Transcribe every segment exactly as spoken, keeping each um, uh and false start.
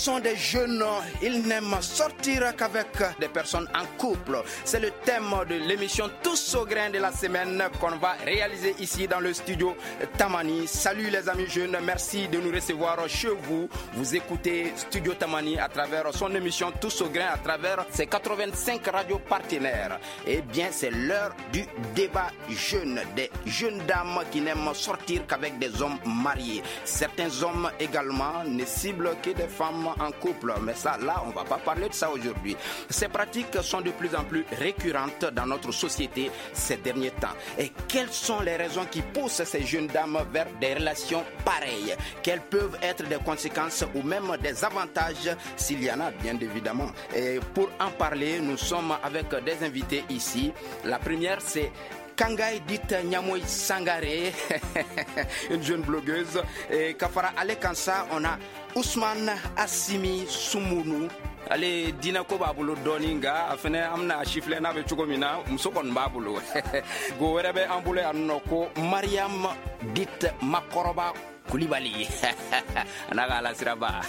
sont des jeunes, ils n'aiment sortir qu'avec des personnes en couple. C'est le thème de l'émission Tous au grain de la semaine qu'on va réaliser ici dans le studio Tamani. Salut les amis jeunes, merci de nous recevoir chez vous. Vous écoutez Studio Tamani à travers son émission Tous au grain, à travers ses quatre-vingt-cinq radios partenaires. Eh bien, c'est l'heure du débat jeune, des jeunes dames qui n'aiment sortir qu'avec des hommes mariés. Certains hommes également ne ciblent que des femmes en couple. Mais ça, là, on ne va pas parler de ça aujourd'hui. Ces pratiques sont de plus en plus récurrentes dans notre société ces derniers temps. Et quelles sont les raisons qui poussent ces jeunes dames vers des relations pareilles? Quelles peuvent être des conséquences ou même des avantages, s'il y en a, bien évidemment. Et pour en parler, nous sommes avec des invités ici. La première, c'est Kangaï dite Nyamoy Sangaré, une jeune blogueuse. Et Kafara Ale Kansa, on a Ousmane Assimi Soumounou. Ale dina ko b'a bolo dɔɔni nka a fɛnɛ an bɛna sifilɛ n'a bɛ cogo min na muso kɔni b'a bolo. Go wɛrɛ bɛ an bolo yan nɔ ko Mariam dite Makɔrɔba Kulibali. A n'a ka alasiraba.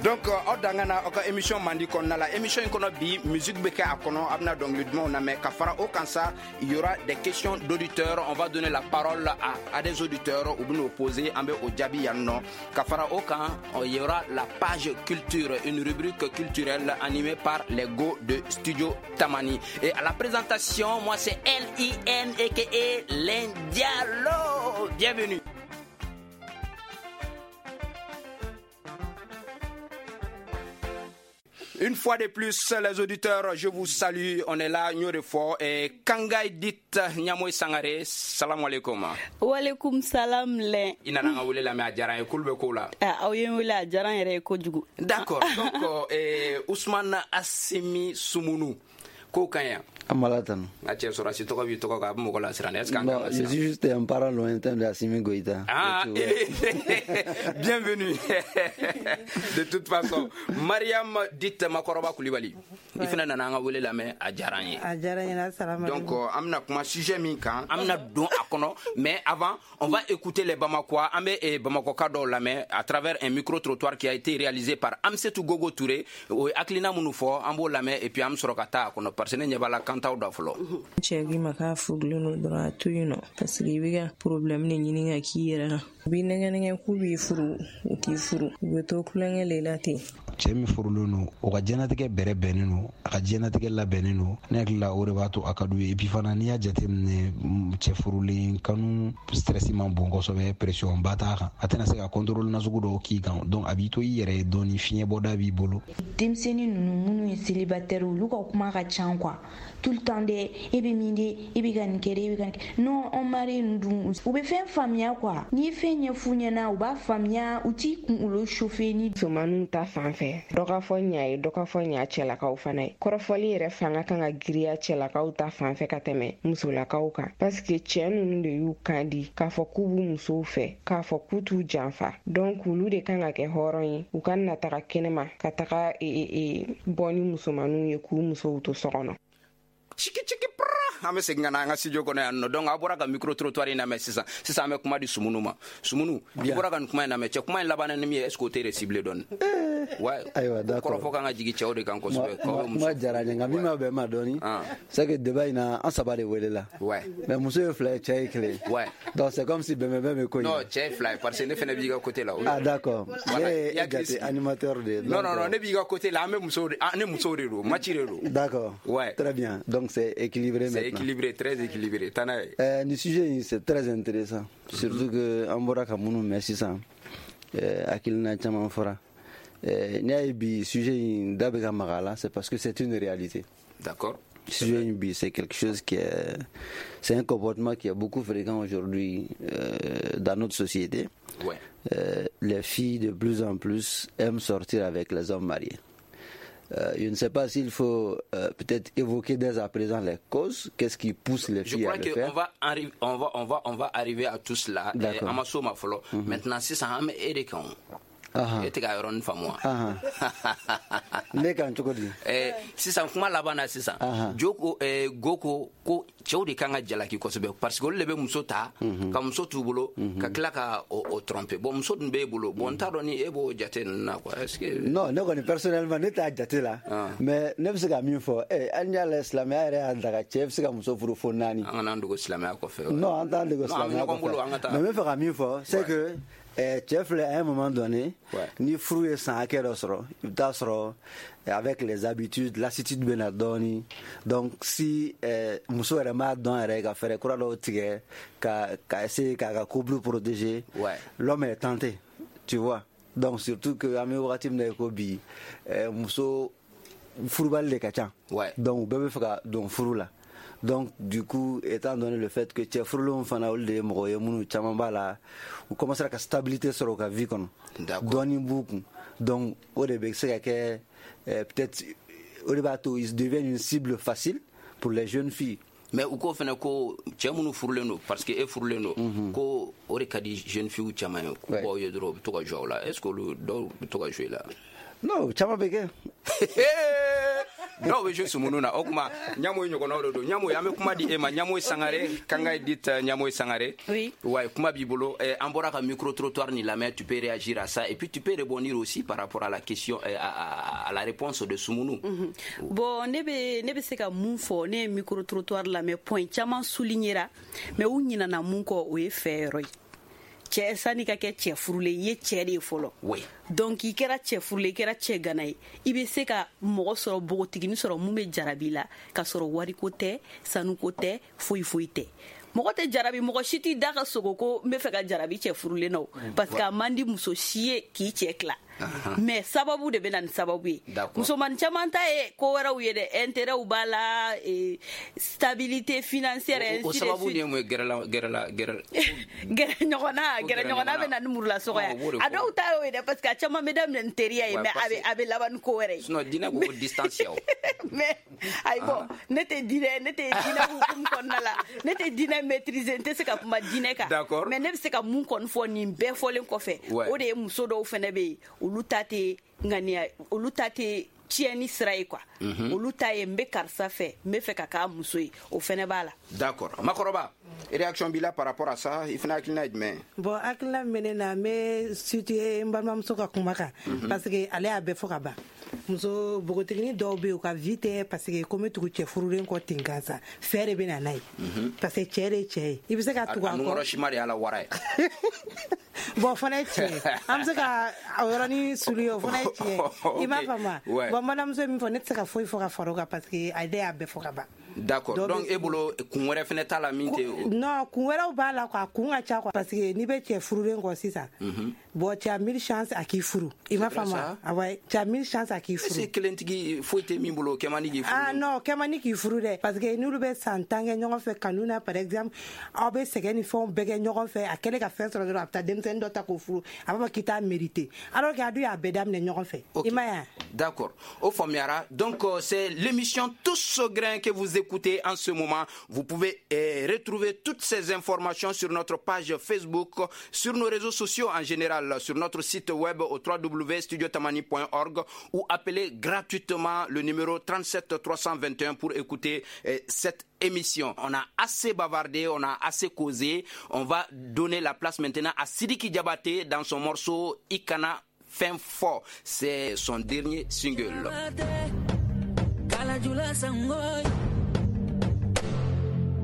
Donc aw dangana aw ka émission mandi kɔnɔna la. Émission in kɔnɔ bi musique bɛ kɛ a kɔnɔ, a bɛna dɔnkili dumanw lamɛn. Ka fara o kan sa, il y aura des questions d'auditeurs. On va donner la parole à, à des auditeurs u bɛn'o poser, an bɛ o jaabi yan nɔ. Ka fara o kan, il y aura la page culture, une rubrique culturelle animée par les go de Studio Tamani. Et à la présentation, moi c'est L I N A K A L'Indialo. Bienvenue. Une fois de plus, les auditeurs, je vous salue. On est là, Nyorefo et Kangaï dite Nyamoy Sangaré. Salam alaikum. Wa alaikum salam le. I nana an ka wele lamɛn, a diyara n ye. Kulu bɛ ko la. Aw ye n wele, a diyara n yɛrɛ ye kojugu. D'accord. Donc, eh, Ousmane Assimi Soumounou. Ko ka ɲi. Amala tanu. N ka cɛ sɔrɔsi tɔgɔ b'i tɔgɔ kan, a bɛ mɔgɔ lasiran. Est-ce qu'an Non, je suis juste un parent lointain de Assimi Goïta. Ah, bienvenue. De toute façon, Mariam dite Makɔrɔba Kulibali. I fana nana an ka wele lamɛn, a diyara n ye. A diyara n ye, assalamu Donc, an bɛna kuma sujet min kan, an bɛna don a kɔnɔ, mais avant, on va écouter les Bamakois. An bɛ Bamakɔka dɔw lamɛn à travers un micro-trottoir qui a été réalisé par Amsetou Gogo Touré. O ye hakilina minnu fɔ, an b'o lamɛn et puis an bɛ sɔrɔ ka taa a kɔnɔ parce que ne ɲɛ b'a la kan t'aw da fɔlɔ. Cɛ k'i ma k'a furulen don dɔrɔn, a to yen nɔ parce que i bɛ ka problème de ɲini ka k'i yɛrɛ la. U b'i nɛgɛ nɛgɛ k'u b'i furu, u t'i furu, u bɛ to tulonkɛ le la ten. Cɛ min furulen don, o ka diɲɛnatigɛ bɛrɛ bɛnnen don, a ka diɲɛnatigɛ labɛnnen don. Ne hakili la, o de b'a to a ka d'u ye. Et puis fana, n'i y'a jateminɛ, cɛ furulen kanu stress man bon kosɛbɛ, pression ba t'a kan, a tɛna se ka contrôle nasugu dɔw k'i kan. Donc a b'i to i yɛrɛ ye dɔɔni, fiɲɛ bɔda b'i bolo. Denmisɛnnin ninnu minnu ye célibataire, olu ka kuma ka ca quoi, tout le temps de e bɛ min de, e bɛ ka nin kɛ de, e bɛ ka nin kɛ. Non, on mari ninnu dun, u bɛ fɛn faamuya quoi. N'i ye fɛn ɲɛf'u ɲɛna, u b'a faamuya, u t'i kunkolo chauffer ni. Musomaninw ta fan fɛ, dɔ ka fɔ ɲa ye, dɔ ka fɔ ɲa cɛlakaw fana ye. Kɔrɔfɔli yɛrɛ fanga kan ka giriya cɛlakaw ta fan fɛ ka tɛmɛ musolakaw kan, parce que cɛɛ ninnu de y'u kan di k'a fɔ k'u b'u musow fɛ, k'a fɔ k'u t'u janfa. Donc olu de kan ka kɛ hɔrɔn ye, u ka na taga kɛnɛma ka taga e, e, bɔ ni musomaninw ye k'u musow to so kɔnɔ. Chiki chiki pra, an bɛ segin ka na an ka studio kɔnɔ yan nɔ. Donc a bɔra ka micro trottoir in lamɛn sisan. Sisan an bɛ kuma di Sumunu ma. Sumunu, i bɔra ka nin kuma in lamɛn, cɛ kuma in laban ni min ye, est ce que o tɛ ciblé dɔɔni? Ouais. Ayiwa, d'accord. Kɔrɔfɔ kan ka jigin cɛw de kan kosɛbɛ. Kuma diyara n ye, nka min ma bɛn ma dɔɔni, c'est que débat in na, an saba de welela. Ouais. Mais muso ye fila ye, cɛ ye kelen. Ouais. Donc c'est comme si bɛnbɛn bɛ ko in. Non, cɛ ye fila ye parce que ne fana b'i ka côté la. Ah d'accord. Ne ye jate animateur de ye. Non non non, ne b'i ka côté la, an bɛ musow de, ne musow de don, match de don. D'accord. Ouais. Très bien. Donc c'est équilibré maintenant. C'est équilibré, très équilibré. Tana. Euh, le sujet, c'est très intéressant. Surtout que an bɔra ka minnu mɛn sisan, hakilina caman fɔra. N'i y'a ye bi sujet in da bɛ ka maga a la, c'est parce que c'est une réalité. D'accord. Sujet in bi, c'est quelque chose qui est, c'est un comportement qui est beaucoup fréquent aujourd'hui euh, dans notre société. Ouais. Euh, les filles de plus en plus aiment sortir avec les hommes mariés. Euh, je ne sais pas s'il faut euh, peut-être évoquer dès à présent les causes. Qu'est-ce qui pousse les filles Je à le crois faire? qu'on va, arri- on va, on va, on va arriver à tout cela. D'accord. An ma s'o ma fɔlɔ. Maintenant, sisan an bɛ e de kan. E tɛ ka yɔrɔnin faamu wa? Ne kan cogo di? Eh, sisan kuma laban na sisan. Jo ko eh, go ko ko cɛw de kan ka jalaki kosɛbɛ parce que olu de bɛ muso ta ka muso t'u bolo ka tila ka o, o tromper. Bon, muso dun b'e bolo. Bon, n t'a dɔn ni e b'o jate ninnu na quoi. Est-ce que Non, ne kɔni personnellement ne t'a jate la. Mais ne bɛ se ka min fɔ, eh, hali n'i y'a lajɛ silamɛya yɛrɛ y'a daga cɛ bɛ se ka muso furu fo naani. An kana an dogo silamɛya kɔfɛ. Non, an t'an dogo silamɛya kɔfɛ. Mais n bɛ fɛ ka min fɔ, c'est que cɛ filɛ à un moment donné, ni furu ye san hakɛ dɔ sɔrɔ, i bɛ taa sɔrɔ avec les habitudes, lassitude bɛ na dɔɔni. Donc si muso yɛrɛ m'a dɔn yɛrɛ ka fɛɛrɛ kura dɔw tigɛ ka ka essayer k'a ka couple protéger, l'homme est tenté, tu vois. Donc surtout que an bɛ wagati min na i ko bi, muso furubali de ka ca. Donc u bɛɛ bɛ fɛ ka don furu la. Donc du coup, étant donné le fait que cɛ furulenw fana olu de ye mɔgɔ ye minnu caman b'a la, u commencera ka stabilité sɔrɔ u ka vie kɔnɔ, dɔɔni b'u kun. Donc o de bɛ se ka kɛ peut-être o de b'a to ils deviennent une cible facile pour les jeunes filles. Mais u ko fana ko cɛ minnu furulen don, parce que e furulen don, ko o de ka di jeune fille caman ye, k'u b'aw ye dɔrɔn u bɛ to ka jouer aw la. Est-ce que olu dɔw bɛ to ka jouer la? Non, caman bɛ kɛ. Dɔw bɛ jouer sumunu na. O tuma Ɲamoyi ɲɔgɔnnaw de don. Ɲamoyi, an bɛ kuma di e ma. Ɲamoyi Sangare, Kangaye dit Ɲamoyi Sangare. Oui. Ouais, kuma b'i bolo. An bɔra ka micro trottoir ni lamɛn, tu peux réagir à ça et puis tu peux rebondir aussi par rapport à la question à, à, à la réponse de Sumunu. Mm -hmm. Bon, ne bɛ ne bɛ se ka mun fɔ, ne ye micro trottoir lamɛn, point caman soulignera, mais u ɲinana mun kɔ, o ye fɛ yɔrɔ ye. Cɛ sani ka kɛ cɛ furulen i ye cɛ de ye fɔlɔ. Oui. Donc i kɛra cɛ furulen, i kɛra cɛ gana ye, i bɛ se ka mɔgɔ sɔrɔ, npogotiginin sɔrɔ mun bɛ jarabi la, k'a sɔrɔ wariko tɛ, sanuko tɛ, foyi foyi tɛ. Mɔgɔ tɛ jarabi, mɔgɔ si t'i da ka sogo ko n bɛ fɛ ka jarabi cɛ furulen na o, parce que a man di muso si ye k'i cɛ tila. Mais sababu de bɛ na ni sababu ye. Musomanin caman ta ye ko wɛrɛw ye dɛ, intérêt b'a la, stabilité financière, ainsi de suite. O sababu de ye mun ye? Gɛrɛla gɛrɛla gɛrɛ gɛrɛ ɲɔgɔnna, gɛrɛ ɲɔgɔnna bɛ na ni murulasɔgɔ ye. A dɔw ta y'o ye dɛ, parce que a caman bɛ daminɛ ni teriya ye, mais a bɛ a bɛ laban ni ko wɛrɛ ye. Sinon diinɛ ko ko distance ya o. Mais ayi, bon, ne tɛ diinɛ ne tɛ diinɛ hukumu kɔnɔna la, ne tɛ diinɛ maîtriser, n tɛ se ka kuma diinɛ kan. Mais ne bɛ se ka mun kɔni fɔ nin bɛɛ fɔlen kɔfɛ, o de ye muso dɔw fɛnɛ bɛ yen, olu ta tɛ ŋaniya, olu ta tɛ tiɲɛni sira ye quoi. Olu ta ye n bɛ karisa fɛ, n bɛ fɛ ka k'a muso ye, o fɛnɛ b'a la. D'accord. Makɔrɔba, réaction b'i la par rapport à ça, i fana hakilina ye jumɛn ye? Bon, hakilina min bɛ ne na, n bɛ situer n balimamuso ka kuma kan, parce que ale y'a bɛɛ fɔ ka ban. Muso npogotiginin dɔw bɛ yen, u ka vie tɛ parce que ko n bɛ tugu cɛ furulen kɔ ten gansan, fɛn de bɛ na n'a ye, parce que cɛ de ye cɛ ye, i bɛ se ka tugu a kɔ. A nukɔrɔ sima de y'a la wara ye. Bon, o fana ye tiɲɛ ye, an bɛ se ka o yɔrɔnin souligner, o fana ye tiɲɛ ye, i m'a faamu wa? Bon, n balimamuso ye min fɔ, ne tɛ se ka foyi fɔ ka fara o kan, parce que ale y'a bɛɛ fɔ ka ban. D'accord. Donc e bolo kun wɛrɛ fɛnɛ t'a la min tɛ? Non, kun wɛrɛw b'a la quoi, kun ka ca quoi, parce que n'i bɛ cɛ furulen kɔ sisan, bon, tu as mille chances à k'i furu, i m'a faamu wa? Ah ouais, tu as mille chances à k'i furu. Est-ce que kelentigi foyi tɛ min bolo, o kɛ man di k'i furu? Ah non, o kɛ man di k'i furu dɛ, parce que n'olu bɛ san tan kɛ ɲɔgɔn fɛ kanu na, par exemple, aw bɛ sɛgɛn ni fɛnw bɛɛ kɛ ɲɔgɔn fɛ, a kɛlen ka fɛn sɔrɔ dɔrɔn, a bɛ taa denmisɛnnin dɔ ta k'o furu, a b'a fɔ k'i t'a mérité, alors que a dun y'a bɛɛ daminɛ ɲɔgɔn fɛ, i m'a ye wa? D'accord, o faamuyara. Donc c'est l'émission Tous au grain que vous écoutez en ce moment. Vous pouvez eh, retrouver toutes ces informations sur notre page Facebook, sur nos réseaux sociaux en général, sur notre site web au w w w point studio tamani point org ou appeler gratuitement le numéro trente-sept trois cent vingt et un pour écouter eh, cette émission. On a assez bavardé, on a assez causé. On va donner la place maintenant à Sidiki Diabaté dans son morceau Ikana Fin Fort. C'est son dernier single.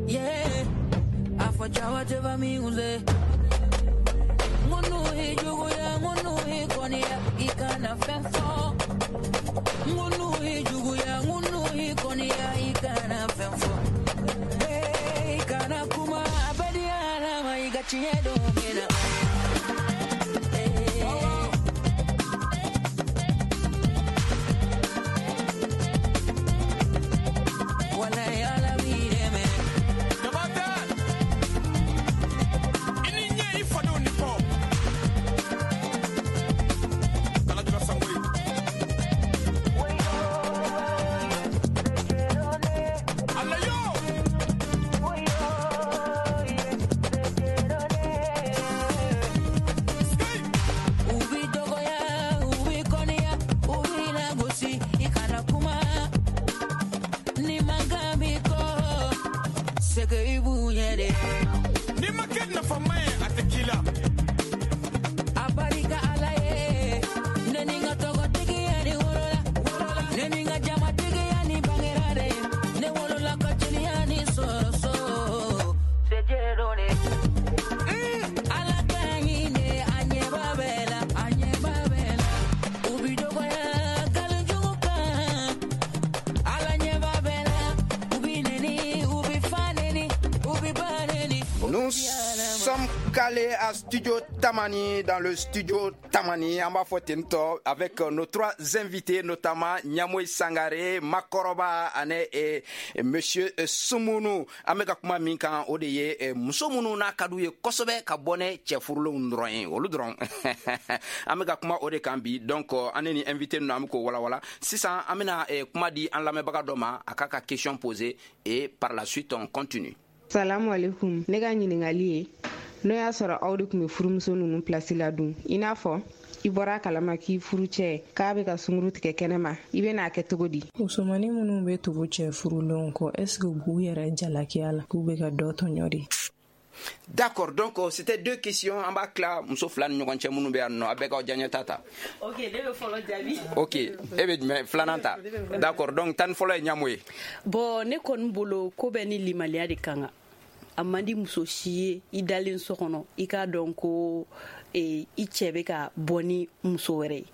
Yeah, afachawa miuze ngunu hijuguya ngunu hikonia ikana fenfo ngunu hijuguya ngunu hikonia ikana fenfo hey ikana kuma abadia na maigachiedo mena. Ubi dogoya C'est que i b'u ɲɛ de. N'i ma kɛ nafama ye a tɛ k'i la. A barika Ala ye, ne ni n ka tɔgɔtigiya ni wolola, ne ni n ka jamatigiya ni bangera de, ne wolola ka jeliya ni sɔrɔ so. C'est Dieu donné. Ala ka ɲi de, a ɲɛba bɛɛ la, a ɲɛba bɛɛ la. U bi dɔgɔya nkalon jugu kan, Ala ɲɛba bɛɛ la. U bi neni, u bi fa neni, u bi ba neni. Nous sommes calés à Studio Tamani, dans le studio Tamani, an b'a fɔ ten tɔ, avec euh, nos trois invités, notamment Ɲamoyi Sangare, Makɔrɔba ani eh, Monsieur eh, Sumunu. An bɛ ka kuma min kan, o de ye eh, muso minnu n'a ka d'u ye kosɛbɛ ka bɔ ne cɛ furulenw dɔrɔn ye, olu dɔrɔn. An bɛ ka kuma o de kan bi. Donc euh, an ne ni invité ninnu, an bɛ k'o walawala. Sisan an bɛna eh, kuma di an lamɛnbaga dɔ ma, a k'a ka question poser et par la suite on continue. Salamu alaikum. Ne ka ɲininkali ye, n'o y'a sɔrɔ aw de tun bɛ furumuso ninnu pilasi la dun, i n'a fɔ i bɔra a kalama k'i furu cɛ k'a bɛ ka sunguru tigɛ kɛnɛ ma, i bɛn'a kɛ cogo di? Musomanin minnu bɛ tugu cɛ furulenw kɔ, est ce que u b'u yɛrɛ jalakiya la k'u bɛ ka dɔ tɔɲɔ de? D'accord, donc euh, c'était deux questions. An b'a tila muso fila ni ɲɔgɔn cɛ minnu bɛ yan nɔ, a bɛɛ k'aw diyaɲɛ ta ta. Ok, ne bɛ fɔlɔ jaabi. Ok, e bɛ jumɛn filanan ta? D'accord, donc tan ni fɔlɔ ye Ɲamo ye. Bon, ne kɔni bolo, ko bɛɛ ni limaliya de kan kan. A man di muso si ye i dalen so kɔnɔ i k'a dɔn ko eh, i cɛ bɛ ka bɔ ni muso wɛrɛ ye.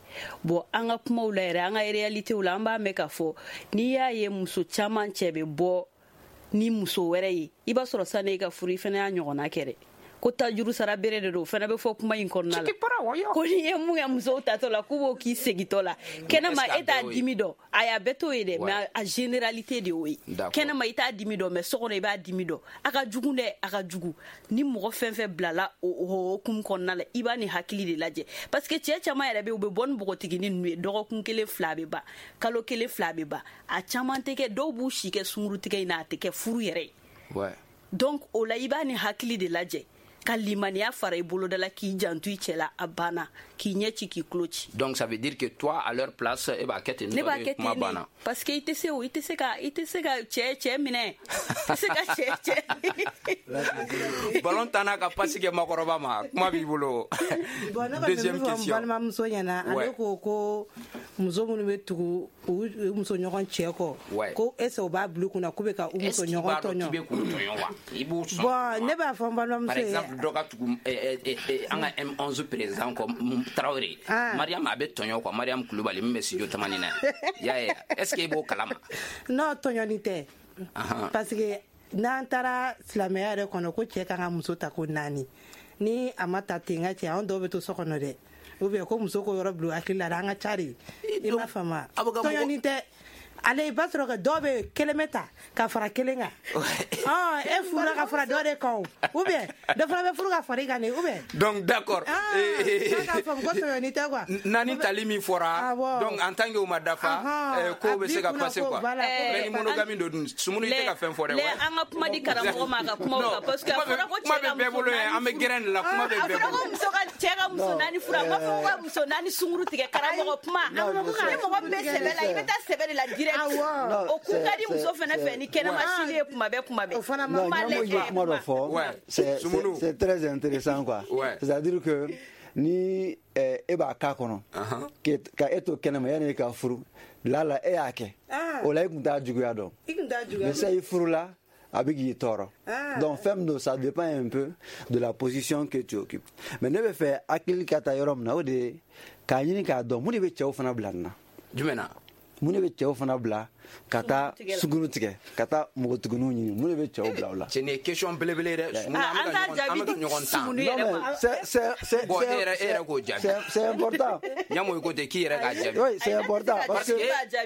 Bon, an ka kumaw la yɛrɛ, an ka réalitéw la, an b'a mɛn k'a fɔ n'i y'a ye muso caman cɛ bɛ bɔ ni muso wɛrɛ ye, i b'a sɔrɔ sani i ka furu, i fana y'a ɲɔgɔnna kɛ dɛ, ko tajuru sara bere de don. O fana bɛ fɔ kuma in kɔnɔna la ko n'i ye mun kɛ musow tatɔ la, k'u b'o k'i segintɔ la kɛnɛma, e t'a dimi dɔn. A y'a bɛɛ t'o ye dɛ, mais a généralité de y'o ye. Kɛnɛma i t'a dimi dɔn, mais so kɔnɔ i b'a dimi dɔn. A ka jugu dɛ, a ka jugu. Ni mɔgɔ fɛn fɛn bilala o hokumu kɔnɔna la, i b'a ni hakili de lajɛ, parce que cɛ caman yɛrɛ bɛ yen, u bɛ bɔ ni npogotiginin ninnu ye, dɔgɔkun kelen fila bɛ ban, kalo kelen fila bɛ ban, a caman tɛ kɛ. Dɔw b'u si kɛ sunkurutigɛ in na, a tɛ kɛ furu yɛrɛ ye. Donc o la, i b'a ni hakili de lajɛ ka limaniya fara i boloda la, k'i janto i cɛ la, a banna, k'i ɲɛ ci, k'i tulo ci. Donc ça veut dire que toi, à leur place, e b'a kɛ ten? Ne b'a kɛ kuma ten banna de, parce que i tɛ se o, i tɛ se ka i tɛ se ka cɛ cɛ minɛ, i tɛ se ka cɛ cɛ. Ballon tan n'a ka passe kɛ Makɔrɔba ma, kuma b'i bolo. Bon, ne kɔni bɛ Deuxième min fɔ n question. balimamuso ɲɛna, Ouais. ale ko ko muso minnu bɛ tugu u u muso ɲɔgɔn cɛ kɔ, Ouais. ko est ce que u b'a bila u kunna k'u bɛ ka u Est-ce muso qu'il ɲɔgɔn b'a dɔn k'i tɔɲɔ? bɛ k'u tɔɲɔ wa? I b'u sɔn? Bon, ne b'a fɔ n Par balimamuso ye. exemple, dɔ ka tugu eh, eh, eh, an ka M onze président kɔ, mm, Traoré. Ah. Mariam a bɛ tɔɲɔ quoi, Mariam Kulubali min bɛ studio Tamani na yan. I y'a ye, est ce que i b'o kalama? Non, tɔɲɔni tɛ, Ahan. parce que n'an taara silamɛya yɛrɛ kɔnɔ, ko cɛ kan ka muso ta ko naani, ni a ma ta ten, ka cɛ anw dɔw bɛ to so kɔnɔ dɛ, ou bien ko muso ko yɔrɔ bila u hakili la dɛ, an ka ca de, i m'a faamu wa? A bɛ ka mɔgɔ- Tɔɲɔni tɛ. Ale, i b'a sɔrɔ ka dɔw bɛ kelen bɛ ta ka fara kelen kan. Ɔn, e furula ka fara dɔ de kan o, ou bien dɔ fana bɛ furu ka fara i kan de, ou bien. Donc d'accord. Ah, Eh, k'a k'a faamu ko tɔɲɔni tɛ quoi. Naani tali min fɔra, Awɔ. donc en tant que o ma dafa, Ahan, eh, ko a bɛ se b'i ka kunna passer ko quoi. voilà, ko Mais ni bɛ monogamie don dun, Sumunu, i tɛ ka fɛn fɔ dɛ. Lɛ, an ka kuma di karamɔgɔ ma a ka kuma Non, kan, parce que a kuma bɛ fɔra ko kuma cɛ bɛ ka bɛɛ muso bolo yan, an bɛ naani furu. gɛrɛn de la, kuma bɛ A bɛɛ fɔra ko bolo. muso ka cɛ ka muso naani furu, a ma fɔ ko ka muso naani sunguru tigɛ. Karamɔgɔ, kuma. Non, Ni je sais. mɔgɔ min bɛ sɛbɛ la, i bɛ taa sɛbɛ de la direct. Awɔ. O kun ka di C'est- muso fɛnɛ fɛ ni kɛnɛma sili ye kuma bɛɛ, kuma bɛɛ. O fana ma Non, Kuma Ɲamo ye lajɛ, kuma dɔ kuma. fɔ, Ouais. c'est Sumunu. c'est- c'est très intéressant quoi. Ouais. C'est-à-dire que ni eh, e b'a k'a kɔnɔ ke- ka e to kɛnɛma yanni e ka furu la la, e y'a kɛ, Ah. o la i tun t'a juguya dɔn. I tun t'a juguya Mais dɔn. ça, i furula, a bɛ k'i tɔɔrɔ. Ah. Donc fɛn min don, ça dépend un peu de la position que tu occupes. Mais ne bɛ fɛ hakili ka taa yɔrɔ min na, o de ye k'a ɲini k'a dɔn mun de bɛ cɛw fana bila nin na. Jumɛn na? Mun de bɛ cɛw fana bila ka taa Sunguru sunguru tigɛ, ka taa npogotigininw ɲini? Mun de bɛ cɛw bila o la? Cɛ, nin ye question belebele ye dɛ. Sumunu, Ah, an bɛ an ka t'a ɲɔgɔn- an jaabi bɛ ka di ɲɔgɔn tan. Sumunu Non, yɛrɛ ma. mais c'est c'est c'est Bon, c'est- e yɛrɛ- e yɛrɛ k'o jaabi. c'est c'est important. Ɲamo i ko ten k'i yɛrɛ k'a jaabi. Oui, c'est important parce que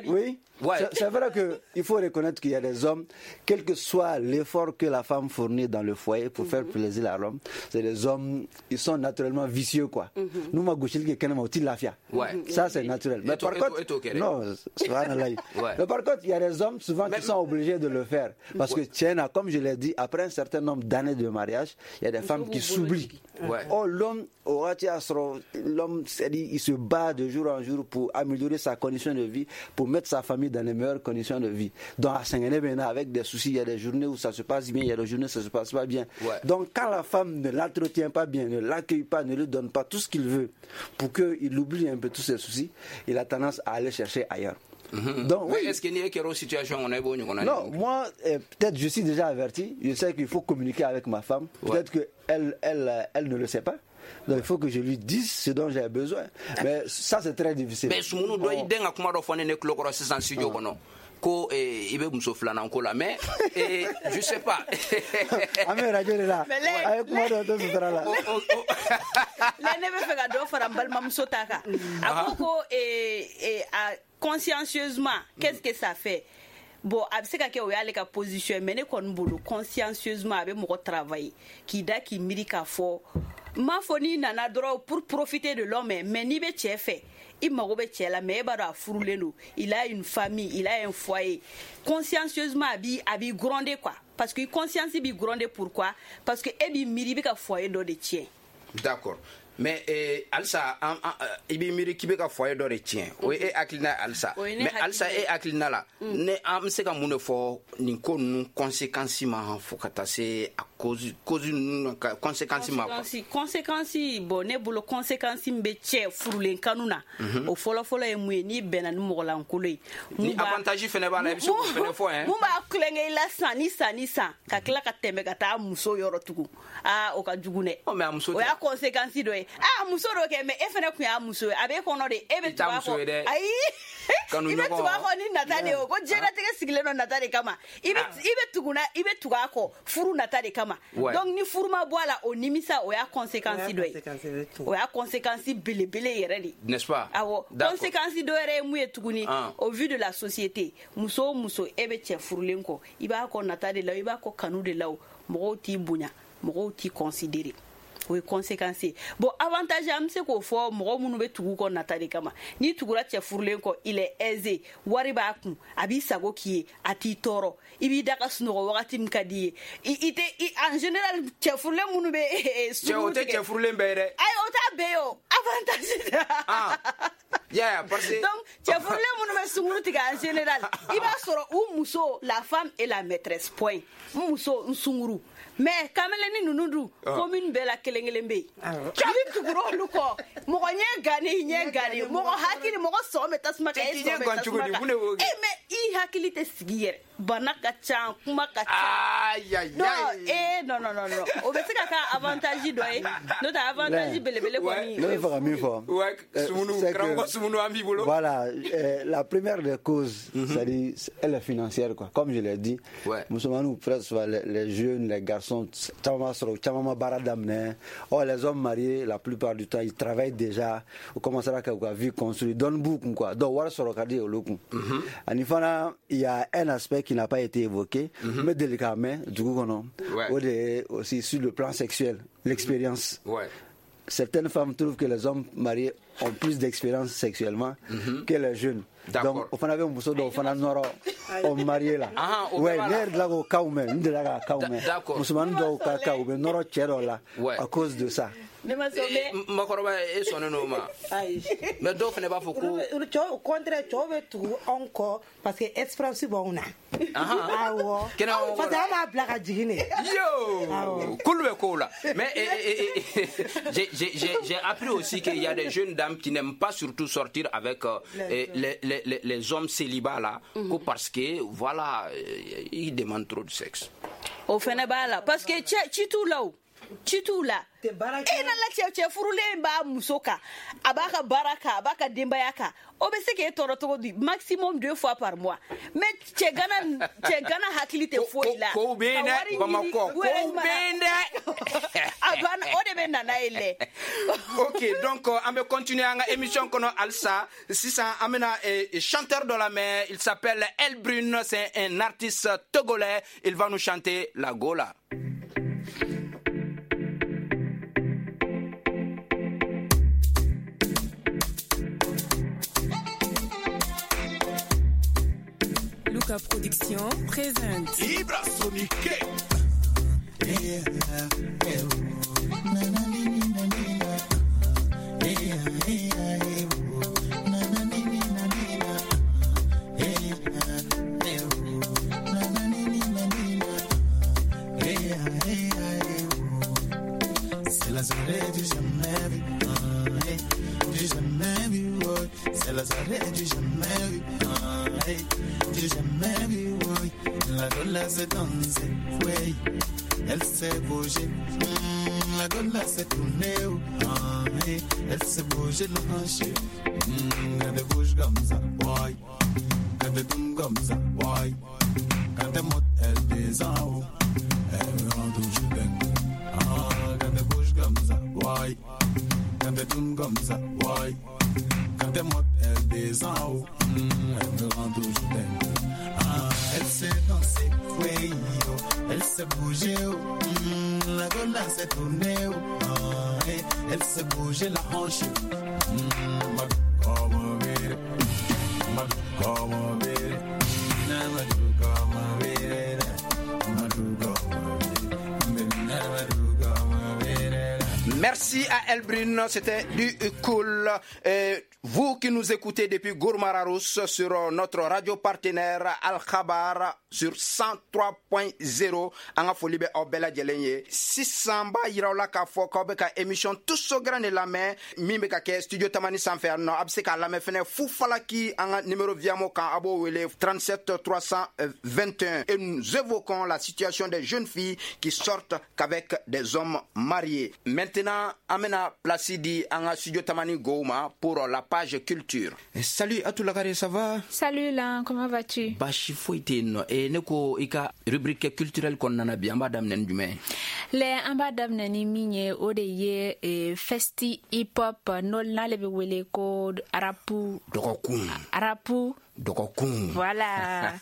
oui, Ouais. c'est- c'est vrai que il faut reconnaître qu'il y a des hommes, quel que soit l'effort que la femme fournit dans le foyer pour faire plaisir à l'homme, c'est des hommes, ils sont naturellement vicieux quoi. Nous ma gosili kɛ kɛnɛma, o ti lafiya. Ouais. Ça c'est naturel. Mais Et toi- par et toi- contre, et toi, Kéré? non, subhanallah. Ouais. Mais par contre, contre, il y a des hommes souvent qui sont obligés de le faire. Parce que, tiens, comme je l'ai dit, après un certain nombre d'années de mariage, il y a des femmes qui s'oublient. Ouais. Oh, l'homme, l'homme, il se bat de jour en jour pour améliorer sa condition de vie, pour mettre sa famille dans les meilleures conditions de vie. Donc, à Saint-Denis, avec des soucis, il y a des journées où ça se passe bien, il y a des journées où ça se passe pas bien. Ouais. Donc, quand la femme ne l'entretient pas bien, ne l'accueille pas, ne lui donne pas tout ce qu'il veut pour qu'il oublie un peu tous ses soucis, il a tendance à aller chercher ailleurs. Mm-hmm. Donc, oui. Est-ce qu'il y a une situation on est bon, on a Non, moi, euh, peut-être je suis déjà averti. Je sais qu'il faut communiquer avec ma femme. Peut-être ouais. qu'elle elle, elle ne le sait pas. Donc il faut que je lui dise ce dont j'ai besoin. Mais ça, c'est très difficile. Mais Soumounu doit y denga kuma dɔ fɔ ne ne tulo kɔrɔ sisan studio kɔnɔ. Ko i bɛ muso filanan ko la mais je sais pas. An bɛ radio de la. A ye kuma dɔ to sutura la. Ne ne bɛ fɛ ka dɔ fara n balimamuso ta kan. A ko ko a consciencieusement, qu'est-ce que ça fait? Bon, a bɛ se ka kɛ o y'ale ka position mais ne kɔni bolo consciencieusement a bɛ mɔgɔ travailler k'i da k'i miiri k'a fɔ n m'a fɔ n'i nana dɔrɔn pour profiter de l'homme mais n'i bɛ cɛ fɛ i mago bɛ cɛ la mais e b'a dɔn a furulen don, il a une famille, il a un foyer. Consciencieusement a b'i a b'i gronder quoi, parce que conscience b'i gronder. Pourquoi? Parce que e b'i miiri i bɛ ka foyer dɔ de tiɲɛ. D'accord. Mais eh, halisa an, an, i b'i miiri k'i bɛ ka foyer dɔ de tiɲɛ, o ye e hakilina ye halisa. Mais halisa e hakilina la, ne an bɛ se ka mun de fɔ nin ko ninnu conséquence ma fo ka taa se a cause cause ninnu ka conséquence ma quoi? Conséquence, bon ne bolo conséquence min bɛ cɛ furulen kanu na, o fɔlɔ fɔlɔ ye mun ye? N'i bɛnna ni mɔgɔlankolon ye, ni avantage fɛnɛ b'a la, i bɛ se k'o fɛnɛ fɔ hein. Mun b'a kulonkɛ i la san ni san ni san ka tila ka tɛmɛ ka taa muso yɔrɔ tugun, aa o ka jugu dɛ. Mais a muso o y'a conséquence dɔ ye. Ah muso dɔ kɛ mais e fɛnɛ kun y'a muso ye, a b'e kɔnɔ de e bɛ tugu a kɔ. Ayi, i bɛ tugu a kɔ ni nata de ye o, ko diɲɛlatigɛ sigilen don nata de kama. I bɛ i bɛ tugu na i bɛ tugu a kɔ furu nata de kama. Donc ni furu ma bɔ a la, o nimisa o y'a conséquence dɔ ye, o y'a conséquence belebele yɛrɛ de, n'est-ce pas? Awɔ, conséquence dɔ yɛrɛ ye mun ye tuguni? Au vu de la société, muso o muso e bɛ cɛ furulen kɔ, i b'a kɔ nata de la, i b'a kɔ kanu de la, o mɔgɔw t'i bonya, mɔgɔw t'i considérer. O ye conséquence ye. Bon avantage an bɛ se k'o fɔ mɔgɔ minnu bɛ tugu kɔ nata de kama. N'i tugura cɛ furulen kɔ, il est aisé, wari b'a kun, a b'i sago k'i ye, a t'i tɔɔrɔ, i b'i da ka sunɔgɔ wagati min ka di i ye. I tɛ en général cɛ furulen minnu bɛ cɛ o tɛ cɛ furulen bɛɛ ye dɛ. Ayi o t'a bɛɛ ye o, avantage. Ah yeah, parce que donc cɛ furulen minnu bɛ sunkuru tigɛ en général, i b'a sɔrɔ u muso, la femme et la maîtresse point. N muso n sunkuru. Mais kameleni ninnu dun commune bɛɛ la kelen kelen bɛ yen. N'i tugura olu kɔ, mɔgɔ ɲɛ gannen ɲɛ gannen, mɔgɔ hakili mɔgɔ sɔn bɛ tasuma kan, e sɔn bɛ tasuma kan. E mais i hakili tɛ sigi yɛrɛ, bana ka ca, kuma ka ca. Non eh non non non non, o bɛ se ka kɛ avantage dɔ ye, n'o tɛ avantage belebele kɔni. Ne bɛ fɛ ka min fɔ. Ouais, Soumounu, karamɔgɔ Soumounu an b'i bolo. Voilà, euh, la première des causes, c'est-à-dire elle est financière quoi. Comme je l'ai dit, musomaninw presque souvent les, les jeunes, les garçons caman sɔrɔ caman ma baara daminɛ. Or les hommes mariés, la plupart du temps, ils travaillent déjà, u commencera ka u ka vie construire, dɔɔni b'u kun quoi. Donc wari sɔrɔ ka di olu kun. Ani fana, il y a un aspect qui n'a pas été évoqué, n bɛ deli k'a mɛn dugu kɔnɔ, o de ye aussi sur le plan sexuel, l'expérience. Ouais. Certaines femmes trouvent que les hommes mariés ont plus d'expérience sexuellement mm-hmm. que les jeunes. Donc, o fana bɛ muso dɔw fana nɔrɔ o marié la. Ouais, ne yɛrɛ delila k'o cas mɛn, n delila k'a cas mɛn. Musomanin dɔw ka cas, u bɛ nɔrɔ cɛ dɔw la à cause de ça. Ne ma sɔn mais makɔrɔba e sɔnnen don o ma. Ayi. Mais dɔw fana b'a fɔ ko cɛw au contraire cɛw bɛ tugu anw kɔ parce que expérience b'anw na. Awɔ. Parce que an b'a bila ka jigin de. Yo. K'olu bɛ kow la. Mais j'ai j'ai j'ai appris aussi qu'il y a des jeunes dames qui n'aiment pas surtout sortir avec euh, les, les les les hommes célibats là, mm-hmm. que parce que voilà, ils demandent trop de sexe. O fana b'a la parce que cɛ ci t'u la o. Ci t'u la. E nana cɛ cɛ furulen b'a muso kan, a b'a ka baara kan, a b'a ka denbaya kan, o bɛ se k'e tɔɔrɔ cogo di? Maximum deux fois par mois. Mais cɛ gana cɛ gana hakili tɛ foyi la. Kow bɛ yen dɛ Bamakɔ, kow bɛ yen dɛ. A banna, o de bɛ na n'a ye lɛ. Ok, donc an bɛ continuer an ka émission kɔnɔ halisa. Sisan an bɛna chanteur dɔ lamɛn, il s'appelle Elbrune, c'est un artiste togolais, il va nous chanter la Gola. Moussa Production présente Ibra Sonique. C'est la soirée du jamais vu, du jamais vu, ouais. C'est la soirée du jamais vu, du jamais vu, ouais. La gola s'est dansée, ouais. Elle s'est bougée, mm, la gola s'est tournée, oh, ah, hey. Elle s'est bougée la hanche, mm, elle bouge comme ça, ouais. Elle tourne comme ça, ouais. Quand elle monte, elle descend, oh. Elle rend toujours dingue. Ah, quand elle bouge comme ça, ouais. Quand elle tourne comme ça, ouais. Quand elle monte, elle descend, oh. Mm, elle me rend toujours dingue. Ah, elle s'est dansée, ouais, oh. Elle s'est bougée, oh. Mm, la gola s'est tournée, oh. Ah, hey. Elle s'est bougée la hanche. Mm, ma comme vire, ma comme vire, na ma comme vire, ma comme vire, na ma comme vire. Merci à Elbrune, c'était du cool. Et vous qui nous écoutez depuis Gourma-Rharous sur notre radio partenaire Al Khabar sur cent trois point zéro, an ka foli bɛ aw bɛɛ lajɛlen ye. Sisan b'a yira aw la k'a fɔ k'aw bɛ ka émission Tous au grain de lamɛn min bɛ ka kɛ studio Tamani sanfɛ yan nɔ. A bɛ se k'a lamɛn fɛnɛ Fufalaki an ka numéro Viamo kan, a b'o wele trente-sept trois cent vingt et un. Et nous évoquons la situation des jeunes filles qui sortent qu'avec des hommes mariés. Maintenant, an bɛna place di an ka studio Tamani gow ma pour la page culture. Salut Atou Lagare, ça va? Salut Lan, comment vas-tu? Baasi foyi tɛ yen nɔ. E ne ko i ka rubrique culturelle kɔnɔna na bi, an b'a daminɛ ni jumɛn ye? Lɛ, an b'a daminɛ ni min ye, o de ye eh, festi hip hop n'o n'ale bɛ wele ko rapu dɔgɔkun. Rapu dɔgɔkun. Voilà.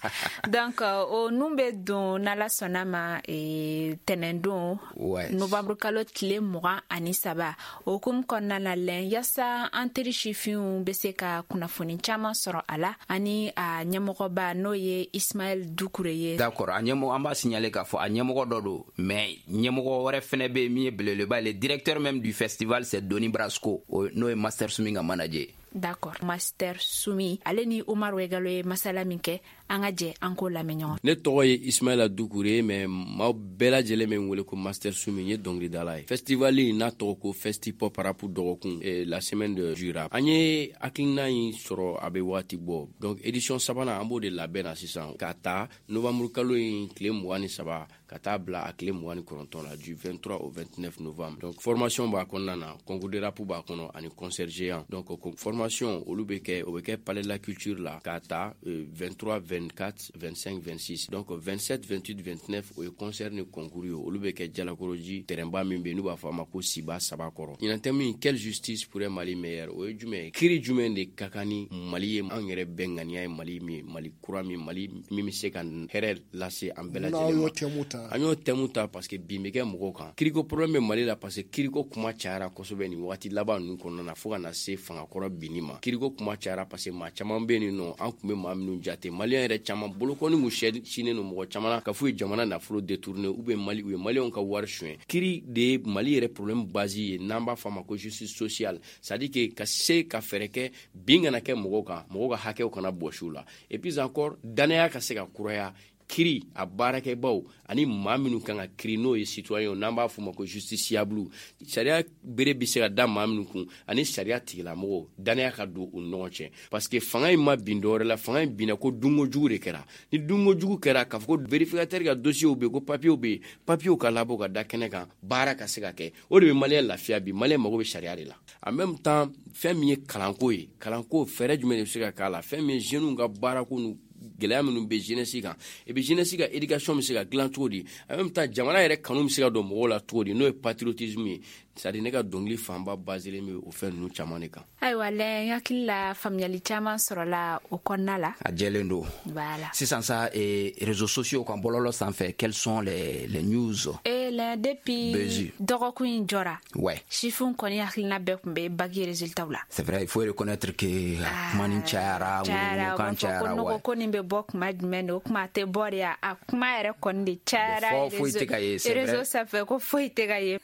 Donc o nun bɛ don n'Ala sɔnna ma eh, tɛnɛndon ouais. Novembre kalo tile mugan ani saba. O hukumu kɔnɔna na lɛn, yaasa an teri sifinw bɛ se ka kunnafoni caman sɔrɔ a la, ani a ɲɛmɔgɔba n'o ye Ismaël Doucouré ye. D'accord, a ɲɛmɔgɔ an b'a signaler k'a fɔ a ɲɛmɔgɔ dɔ don, mais ɲɛmɔgɔ wɛrɛ fɛnɛ bɛ yen min ye belebeleba ye. Le directeur même du festival, c'est Doni Brasco, n'o ye Master Sumi ka manager. D'accord, Master Sumi ale ni Omar Wegalo ye masala min kɛ, an ka jɛ an k'o lamɛn ɲɔgɔn. Ne tɔgɔ ye Ismaila Doucouré, mais maaw bɛɛ lajɛlen bɛ n wele ko Master Sumi, n ye dɔnkilidala ye. Festival in n'a tɔgɔ ko Festi Pop Rap dɔgɔkun, eh, la semaine de du rap. An ye hakilina in sɔrɔ a bɛ waati bɔ. Donc édition sabanan an b'o de labɛn na sisan ka taa novembre kalo in tile mugan ni saba ka taa bila a tile mugan ni kɔnɔntɔn la, du vingt-trois au vingt-neuf novembre. Donc formation b'a kɔnɔna na, concours de rap b'a kɔnɔ ani concert géant. Donc formation olu bɛ kɛ, o bɛ kɛ palais de la culture la ka taa euh, vingt-trois vingt-quatre vingt-cinq vingt-six. Donc vingt-sept vingt-huit vingt-neuf o ye concert ni concours ye, olu bɛ kɛ Jalakɔrɔji terrainba min bɛ yen n'u b'a fɔ a ma ko Siba saba kɔrɔ. Ɲinan thème in, quelle justice pour un Mali meilleur, o ye jumɛn ye? Kiiri jumɛn de ka kan ni Mali ye? An yɛrɛ bɛɛ ŋaniya ye Mali min ye, Mali kura min, Mali min bɛ se ka hɛrɛ lase an bɛɛ lajɛlen ma. An y'o thème ta parce que bin bɛ kɛ mɔgɔw kan. Kiriko problème bɛ Mali la parce que kiriko kuma cayara kosɛbɛ nin waati laban ninnu kɔnɔna na, fo ka na se fangakɔrɔ binni ma. Kiriko kuma cayara parce que maa caman bɛ yen nɔ, an tun bɛ maa minnu jate maliyɛn yɛrɛ caman bolokɔni mun sinnen don mɔgɔ caman na ka f'u ye jamana nafolo détourné ou bien Mali u ye maliyɛnw ka wari suɲɛ. Kiri de ye Mali yɛrɛ problème base ye, n'an b'a fɔ a ma ko justice sociale, c'est à dire que ka se ka fɛɛrɛ kɛ bin kana kɛ mɔgɔw kan, mɔgɔw ka hakɛw kana bɔsi u la. Et puis encore, danaya ka se ka kuraya kiri a baarakɛbaw ani maa minnu kan ka kiri, n'o ye citoyen, n'an b'a fɔ ma ko justiciable. Sariya bere bɛ se ka da maa minnu kun ani sariya tigilamɔgɔw, danaya ka don u ni ɲɔgɔn cɛ, parce que fanga in ma bin dɔwɛrɛ la, fanga in binna ko dunkojugu de kɛra. Ni dunkojugu kɛra, k'a fɔ ko vérificateur ka dossier bɛ yen, ko papier bɛ yen, papier ka labɔ ka da kɛnɛ kan, baara ka se ka kɛ, o de bɛ maliyɛn lafiya bi. Maliyɛn mago bɛ sariya de la. En même temps, fɛn min ye kalanko ye, kalanko fɛɛrɛ jumɛn de bɛ se ka k'a la? Fɛn min ye jeunes ka baarako n'u gɛlɛya minnu bɛ jeunesse kan, et puis jeunesse ka éducation bɛ se ka dilan cogo di? En même temps, jamana yɛrɛ kanu bɛ se ka don mɔgɔw la cogo di, n'o ye patriotisme ye? C'est à dire ne ka dɔnkili fanba baselen bɛ o fɛn ninnu caman de kan. Ayiwa lɛ, n hakili la faamuyali caman sɔrɔla o kɔnɔna la. A jɛlen don. Voilà. Sisan sa, eh, réseaux sociaux kan, bɔlɔlɔ sanfɛ, quelles sont les, les news? Et Lɛ depuis dɔgɔkun in jɔra. Ouais. Sifinw kɔni hakilina bɛɛ tun bɛ bac résultat la. C'est vrai, il faut reconnaître que kuma nin cayara, ŋunuŋunukan cayara. Ko ko nin bɛ bɔ kuma jumɛn de, o kuma tɛ bɔ de ya, a kuma yɛrɛ kɔni de cayara. Fɔ foyi tɛ ka ye, c'est vrai. Réseau sanfɛ ko foyi tɛ ka ye.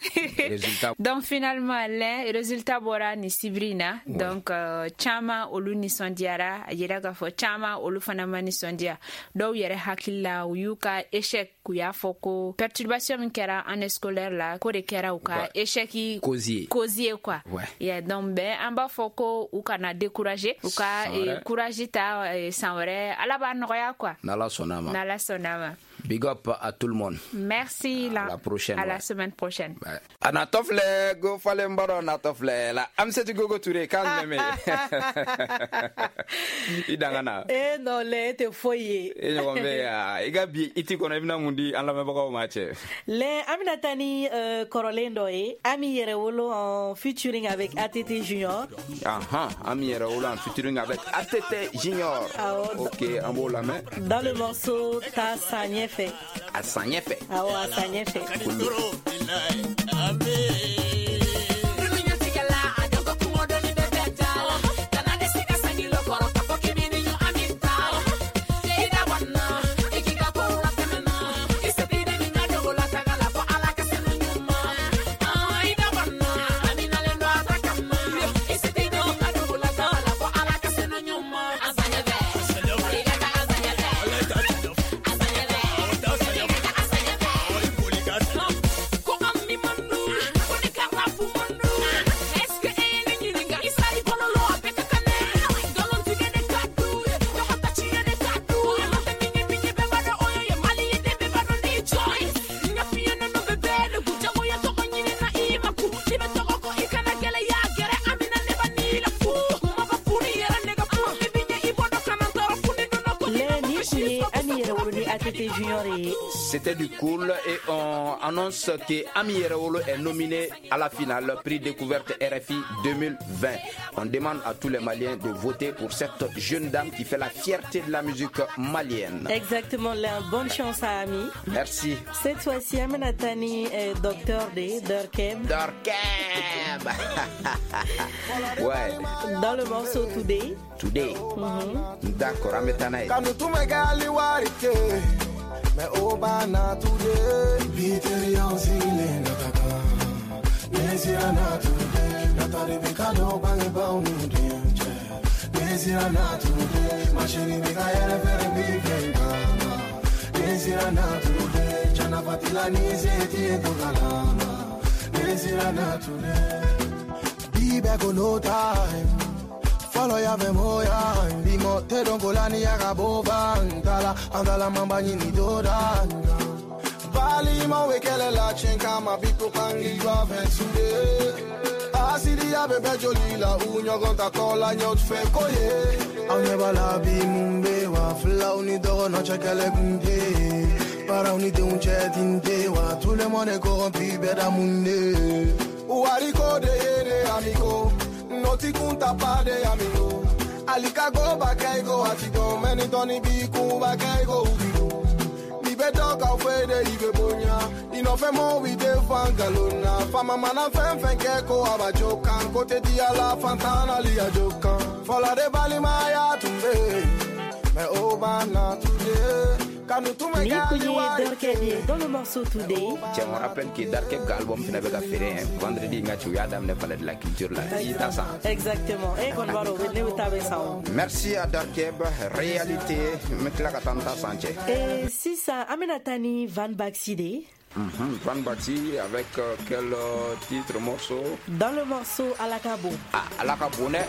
Résultat. Donc finalement lɛ résultat bɔra nin sibiri in na. Donc euh, caman olu nisɔndiyara, a yira k'a fɔ caman olu fana ma nisɔndiya. Dɔw yɛrɛ hakili la u y'u ka échec, u y'a fɔ ko perturbation min kɛra année scolaire la, ko de kɛra u ka échec cause ye cause ye quoi. Ouais. Yeah, donc bɛɛ an b'a fɔ ko u kana décourager, u ka eh, courage ta eh, san wɛrɛ Ala b'a nɔgɔya quoi. N'Ala sɔnna ma. N'Ala sɔnna ma. Big up à tout le monde. Merci. À la, la prochaine. À ouais. la semaine prochaine. Ouais. A natɔ filɛ, go falen b'a dɔn natɔ filɛ la. Amisɛti Gogo Ture k'an jumɛn bɛ yen? I danga na. E non lɛ, e tɛ foyi ye. E ɲɔgɔn bɛ yan. I ka bi i ti kɔnɔ i bɛna mun di an lamɛnbagaw ma cɛ? Lɛ, an bɛna taa ni euh, kɔrɔlen dɔ ye. Ami Yɛrɛwolo en featuring avec A T T Junior. Ahan, Ami Yɛrɛwolo en featuring avec A T T Junior. Awɔ. Ok, an b'o lamɛn. Dans le morceau Ta san ɲɛfɛ. A san ɲɛfɛ. Awɔ, a san ɲɛfɛ. C'était du cool et on annonce que Ami Yɛrɛwolo est nominé à la finale prix découverte R F I deux mille vingt. On demande à tous les Maliens de voter pour cette jeune dame qui fait la fierté de la musique malienne. Exactement, la bonne chance à Ami. Merci. Cette fois-ci, Amenatani est docteur D, Darkeb. Darkeb. Ouais. Dans le morceau Today. Today. Mm-hmm. D'accord, Ametanaï. Mais Obana today, Peter Yanzile nataka, Nezira na today, Natali Bikado bange baunu dianche, Nezira na today, ma chérie Mikael fere bifengama, Nezira na today, Chana fatila nizeti etukalama, Nezira na today, be back on no time. Follow ya ve moya, bimo te dongola ni agabova, andala andala mamba ni doda. Bali mo wekele la chenka ma biko pangi wa vensude. Asidi ya bebe joli la unyo gonta kola nyot fe koye. Anye bala bi mumbe wa fla uni dogo no chekele kunde. Para uni de unche tinte wa tout le monde est corrompu beda munde. Uariko de yere amigo. Noti kunta pa de amigo. Alika go bakaigo atigo. Meni toni biku bakaigo ubigo. Ni beto ka fede ibe bonya. Ino fe mo we de fangalona. Fama mana fen fen keko abajokan. Kote di ala fantana li ajokan. Fola de bali maya tumbe. Me obana today. Ni kun ye Darkeb ye dans le morceau Today. Tiens, on rappelle que Darkeb ka album fana bɛ ka feere vendredi n ka ci u y'a daminɛ palais de la culture la. I ta san. Exactement. E kɔni b'a dɔn ne bɛ taa bɛ san o. Merci à Darkeb, réalité n bɛ tila ka taa n ta san cɛ. Et sisan an bɛna taa ni Van Baxi de ye. Mm-hmm. Van Baxi avec euh, quel euh, titre morceau? Dans le morceau Alakabo. Ah, Alakabo ne.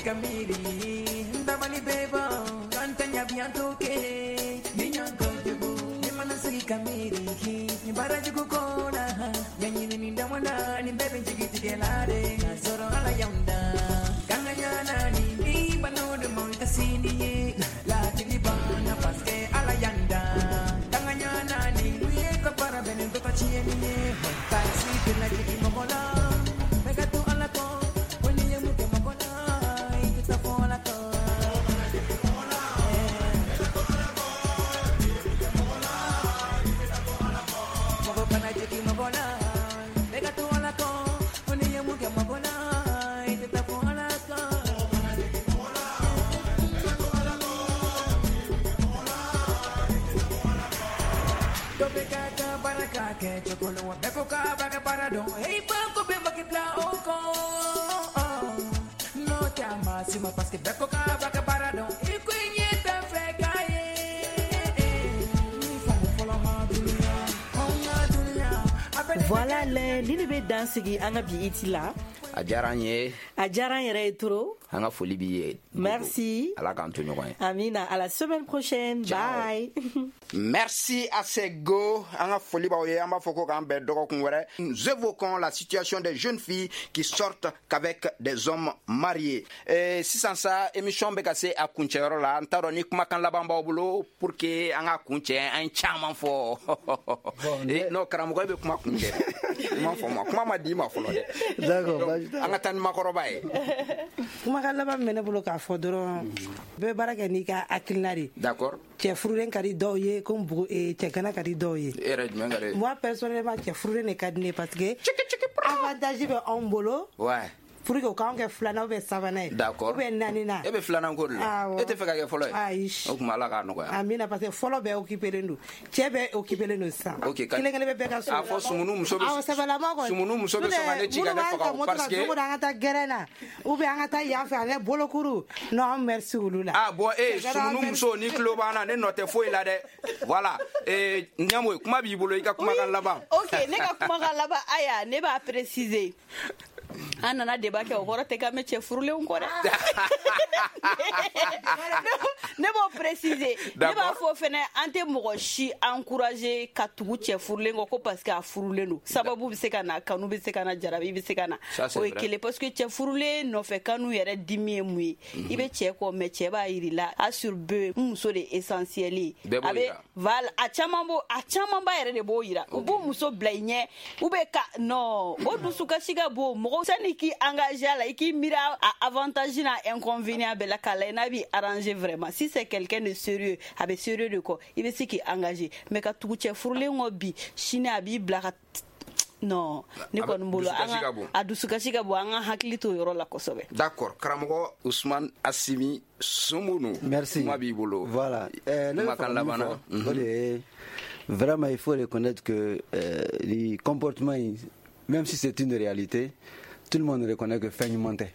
Kamiri ndabali beba kantanya biantoke ninyanko debu nimanasigi kamiri ni baraji kukona nyanyini ni ndamwana ni bebe njigitigelare soro ala yanda kanganyana ni ni banode montasini la tilibana paske ala yanda kanganyana ni wiye kapara benen to tachieni taxi tena jiki mogola. Voilà le ni ne bɛ dan sigi an ka bi iti la. A diyara n ye. A diyara n yɛrɛ ye trop. An ka foli b'i ye. Merci. Ala k'an to ɲɔgɔn ye. Amina, à la semaine prochaine. Ciao. Bye. Merci à ces go. An ka foli b'aw ye. An b'a fɔ ko k'an bɛn dɔgɔkun wɛrɛ. Nous évoquons la situation des jeunes filles qui sortent qu'avec des hommes mariés. Et sisan sa émission bɛ ka se a kuncɛyɔrɔ la. N t'a dɔn ni kumakan laban b'aw bolo pour que an ka kuncɛ an ye caman fɔ. Eh, non, karamɔgɔ e bɛ kuma kuncɛ. Kuma fɔ ma. Kuma ma di ma fɔlɔ dɛ. D'accord. An ka taa ni makɔrɔba ye. Kumakan laban min bɛ ne bolo k'a fɔ dɔrɔn, bɛɛ baara kɛ n'i ka hakilina de ye. D'accord. Cɛ furulen ka di dɔw ye ko cɛ gana ka di dɔw ye. E yɛrɛ jumɛn ka di? Moi personnellement cɛ furulen de ka di ne ye parce que avantage bɛ anw bolo. Ouais. Pour que k'anw kɛ filanan ou bien sabanan ye. D'accord. Ou bien naaninan. E bɛ filanan ko de la. Awɔ. E tɛ fɛ ka kɛ fɔlɔ ye? Ayi. O tuma Ala k'a nɔgɔya. Amina, parce que fɔlɔ bɛɛ occupé don. Cɛ bɛɛ occupé don sisan. Ok. Kelen kelen bɛ bɛɛ ka so. A fɔ sumunu muso bɛ. Awɔ, sɛbɛlama kɔni. Sumunu muso bɛ sɔn ka ne ci ka ne faga o parce que. Don o don an ka taa gɛrɛn na ou bien an ka taa yan fɛ an kɛ bolokuru. Non, an merci olu la. Ah bon, eh sumunu muso ni tulo b'an na ne nɔ tɛ foyi la dɛ. Voilà. Eh Ɲamoyi, kuma b'i bolo i ka kumakan laban. Ok, ne ka kumakan laban aya ne b'a préciser. An nana débat kɛ o kɔrɔ tɛ k'an bɛ cɛ furulenw kɔ dɛ. Ne b'o préciser. Ne b'a fɔ fɛnɛ an tɛ mɔgɔ si encourager ka tugu cɛ furulen kɔ ko parce que a furulen don. Sababu bɛ se ka na, kanu bɛ se ka na, jarabi bɛ se ka na. O ye kelen parce que cɛ furulen nɔfɛ kanu yɛrɛ dimi ye mun ye? I bɛ cɛ kɔ mais cɛ b'a yir'i la a sur deux n muso de essentiel ye. A bɛ voilà a caman b'o a camanba yɛrɛ de b'o yira. U b'u muso bila i ɲɛ ou bien ka non o dusukasi ka bon mɔgɔ sani k'i engagé a la i k'i miiri a avantage n'a inconvénient bɛɛ la k'a lajɛ n'a b'i arranger vraiment. Si c'est quelqu'un de sérieux a bɛ sérieux de kɔ i bɛ se k'i engagé mais ka tugu cɛ furulen kɔ bi sini a b'i bila ka non ne kɔni bolo an ka a dusukasi ka bon an ka hakili to yɔrɔ la kosɛbɛ. D'accord, karamɔgɔ Ousmane Assimi Soumounou. Merci. Kuma b'i bolo. Voilà. Euh, ne bɛ fɛ ka min fɔ o de ye vraiment il faut reconnaître que euh, les comportements, même si c'est une réalité, tout le monde reconnaît que fɛn ɲuman tɛ.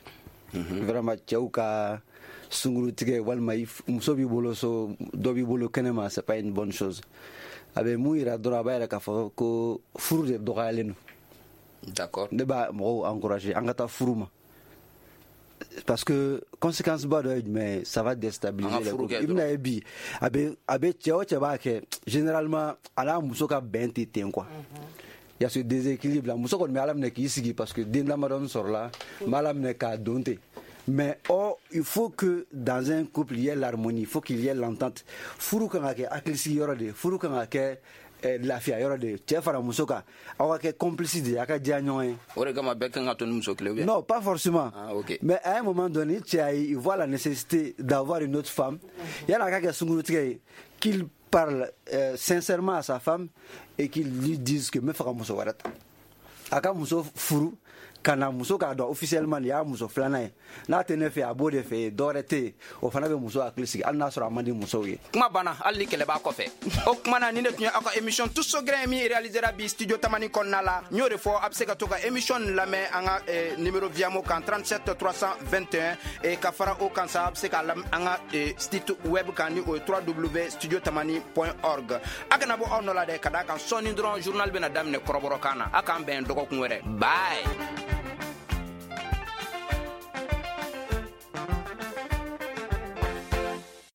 Vraiment cɛw ka sunguru tigɛ walima muso b'i bolo so dɔ b'i bolo kɛnɛma, c'est pas une bonne chose. A bɛ mun yira dɔrɔn, a b'a yira k'a fɔ ko furu de dɔgɔyalen don. D'accord. Ne b'a mɔgɔw encourager an ka taa furu ma. Parce que conséquence ba dɔ ye jumɛn ye, ça va déstabiliser les couples. I bɛna ye bi a bɛ a bɛ cɛ o cɛ b'a kɛ généralement a n'a muso ka bɛn tɛ ten quoi. Il y a ce déséquilibre là. Muso kɔni bɛ Ala minɛ k'i sigi parce que den damadɔni sɔrɔla, n b'a minɛ k'a don ten. Mais or, il faut que dans un couple, il y ait l'harmonie, il faut qu'il y ait l'entente. Furu kan ka kɛ hakilisigi yɔrɔ de ye, furu kan ka kɛ lafiya yɔrɔ de ye. Cɛ fara muso kan, aw ka kɛ complice de ye, a ka diya ɲɔgɔn ye. O de kama bɛɛ kan ka to ni muso kelen ou bien? Non, pas forcément. Ah, ok. Mais à un moment donné, cɛ il voit la nécessité d'avoir une autre femme. Yan'a ka kɛ sunkurutigɛ ye, qu'il parle euh, sincèrement à sa femme et qu'il lui dise que n bɛ fɛ ka muso wɛrɛ ta. A ka muso furu ka na muso k'a dɔn officiellement nin y'a muso filanan ye, n'a tɛ ne fɛ a b'o de fɛ yen, dɔwɛrɛ tɛ yen, o fana bɛ muso hakili sigi hali n'a sɔrɔ a man di musow ye. Kuma banna hali ni kɛlɛ b'a kɔfɛ. O kuma na ni ne tun ye aw ka émission Tous au grain min réalisera bi studio Tamani kɔnɔna la. N y'o de fɔ a bɛ se ka to ka émission nin lamɛn an ka eh, numéro Viamo kan trente-sept trois cent vingt et un et ka fara o kan sa a bɛ se k'a lamɛn an ka eh, site web kan ni o ye w w w point studio tamani point org. A kana bɔ aw nɔ la dɛ, ka d'a kan sɔɔni dɔrɔn journal bɛna daminɛ kɔrɔbɔrɔkan na. A k'an bɛn dɔgɔkun wɛrɛ. Bye.